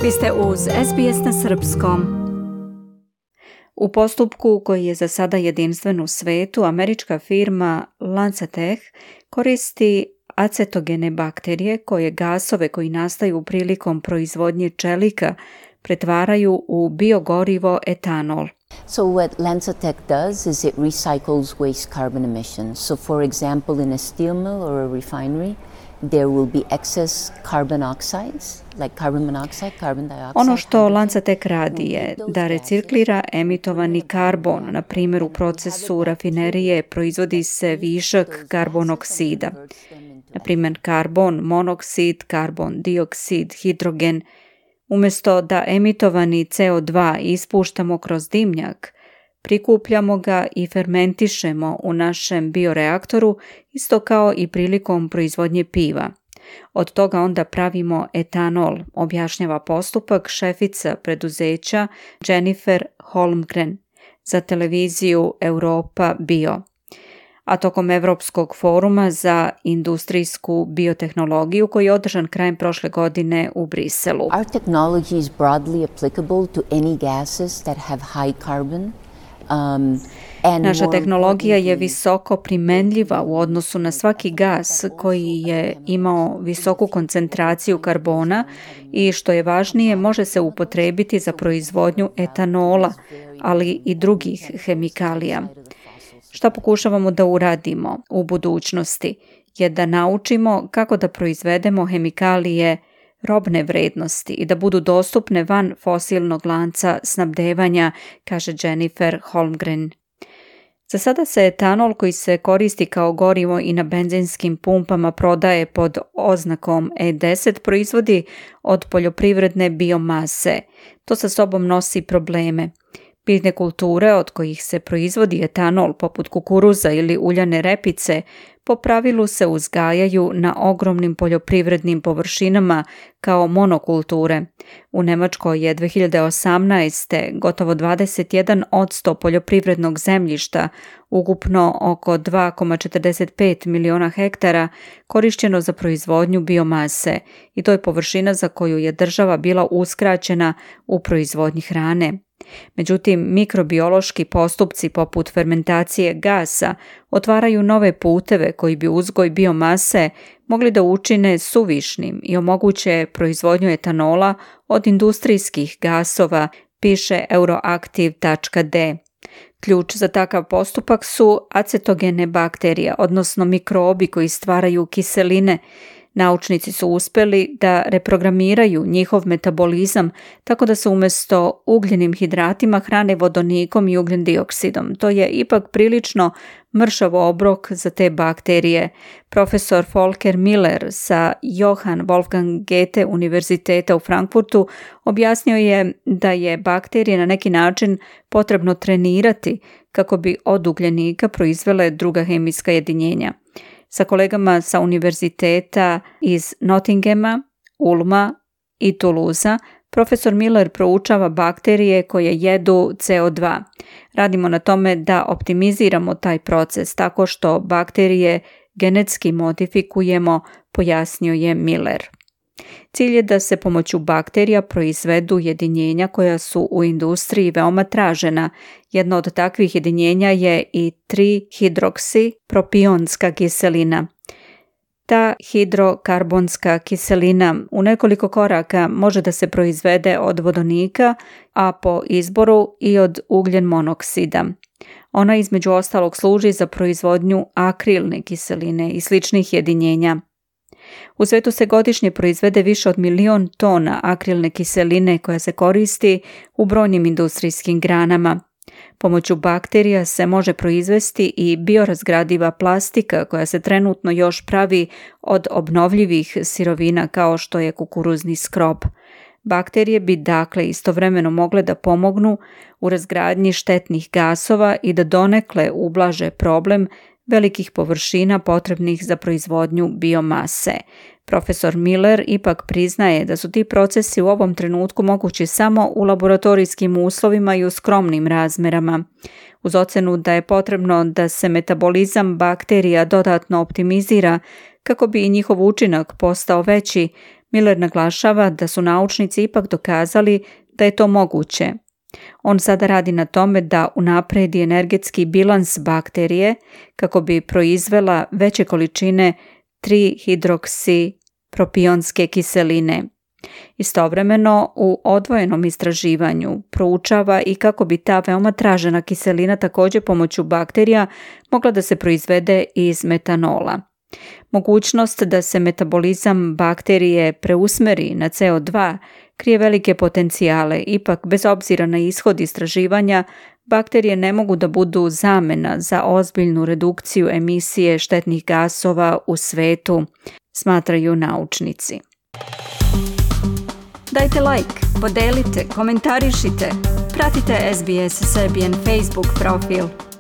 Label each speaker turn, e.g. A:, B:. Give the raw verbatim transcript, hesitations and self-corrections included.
A: Vi ste uz S B S na srpskom. U postupku koji je za sada jedinstven u svetu, američka firma LanzaTech koristi acetogene bakterije koje gasove koji nastaju prilikom proizvodnje čelika pretvaraju u biogorivo etanol.
B: So what LanzaTech does is it recycles waste carbon emissions. So for example, in a steel mill or a refinery, there will be excess carbon oxides, like carbon monoxide, carbon dioxide.
A: Ono što LanzaTech radi je da reciklira emitovani karbon. Na primjer, u procesu rafinerije proizvodi se višak karbonoksida. Na primjer, karbon monoksid, karbon dioksid, hidrogen. Umjesto da emitovani C O dva ispuštamo kroz dimnjak, prikupljamo ga i fermentišemo u našem bioreaktoru, isto kao i prilikom proizvodnje piva. Od toga onda pravimo etanol, objašnjava postupak šefica preduzeća Jennifer Holmgren za televiziju Europa Bio. A tokom Evropskog foruma za industrijsku biotehnologiju koji je održan krajem prošle godine u Briselu.
B: Our technology is broadly applicable to any gases that have high carbon. Um,
A: Naša tehnologija je visoko primenljiva u odnosu na svaki gas koji je imao visoku koncentraciju karbona i što je važnije može se upotrijebiti za proizvodnju etanola, ali i drugih hemikalija. Šta pokušavamo da uradimo u budućnosti je da naučimo kako da proizvedemo hemikalije robne vrednosti i da budu dostupne van fosilnog lanca snabdevanja, kaže Jennifer Holmgren. Za sada se etanol koji se koristi kao gorivo i na benzinskim pumpama prodaje pod oznakom E deset proizvodi od poljoprivredne biomase. To sa sobom nosi probleme. Biljne kulture od kojih se proizvodi etanol poput kukuruza ili uljane repice po pravilu se uzgajaju na ogromnim poljoprivrednim površinama kao monokulture. U Nemačkoj je dve hiljade osamnaeste. gotovo dvadeset jedan posto poljoprivrednog zemljišta, ukupno oko dva zarez četrdeset pet miliona hektara, korišćeno za proizvodnju biomase i to je površina za koju je država bila uskraćena u proizvodnji hrane. Međutim, mikrobiološki postupci poput fermentacije gasa otvaraju nove puteve koji bi uzgoj biomase mogli da učine suvišnim i omoguće proizvodnju etanola od industrijskih gasova, piše euroactiv tačka de. Ključ za takav postupak su acetogene bakterije, odnosno mikrobi koji stvaraju kiseline. Naučnici su uspjeli da reprogramiraju njihov metabolizam tako da se umjesto ugljenim hidratima hrane vodonikom i ugljen dioksidom. To je ipak prilično mršav obrok za te bakterije. Profesor Volker Miller sa Johann Wolfgang Goethe univerziteta u Frankfurtu objasnio je da je bakterije na neki način potrebno trenirati kako bi od ugljenika proizvele druga hemijska jedinjenja. Sa kolegama sa univerziteta iz Nottinghama, Ulma i Toulousea, profesor Miller proučava bakterije koje jedu C O dva. Radimo na tome da optimiziramo taj proces tako što bakterije genetski modifikujemo, pojasnio je Miller. Cilj je da se pomoću bakterija proizvedu jedinjenja koja su u industriji veoma tražena. Jedno od takvih jedinjenja je i tri hidroksipropionska kiselina. Ta hidrokarbonska kiselina u nekoliko koraka može da se proizvede od vodonika, a po izboru i od ugljen monoksida. Ona između ostalog služi za proizvodnju akrilne kiseline i sličnih jedinjenja. U svetu se godišnje proizvede više od milion tona akrilne kiseline koja se koristi u brojnim industrijskim granama. Pomoću bakterija se može proizvesti i biorazgradiva plastika koja se trenutno još pravi od obnovljivih sirovina kao što je kukuruzni skrob. Bakterije bi dakle istovremeno mogle da pomognu u razgradnji štetnih gasova i da donekle ublaže problem velikih površina potrebnih za proizvodnju biomase. Profesor Miller ipak priznaje da su ti procesi u ovom trenutku mogući samo u laboratorijskim uslovima i u skromnim razmerama. Uz ocenu da je potrebno da se metabolizam bakterija dodatno optimizira kako bi i njihov učinak postao veći, Miller naglašava da su naučnici ipak dokazali da je to moguće. On sada radi na tome da unapredi energetski bilans bakterije kako bi proizvela veće količine tri hidroksipropionske kiseline. Istovremeno, u odvojenom istraživanju proučava i kako bi ta veoma tražena kiselina također pomoću bakterija mogla da se proizvede iz metanola. Mogućnost da se metabolizam bakterije preusmeri na C O dva krije velike potencijale, ipak bez obzira na ishod istraživanja, bakterije ne mogu da budu zamena za ozbiljnu redukciju emisije štetnih gasova u svetu, smatraju naučnici. Dajte like, podelite, komentarišite, pratite S B S Serbian Facebook profil.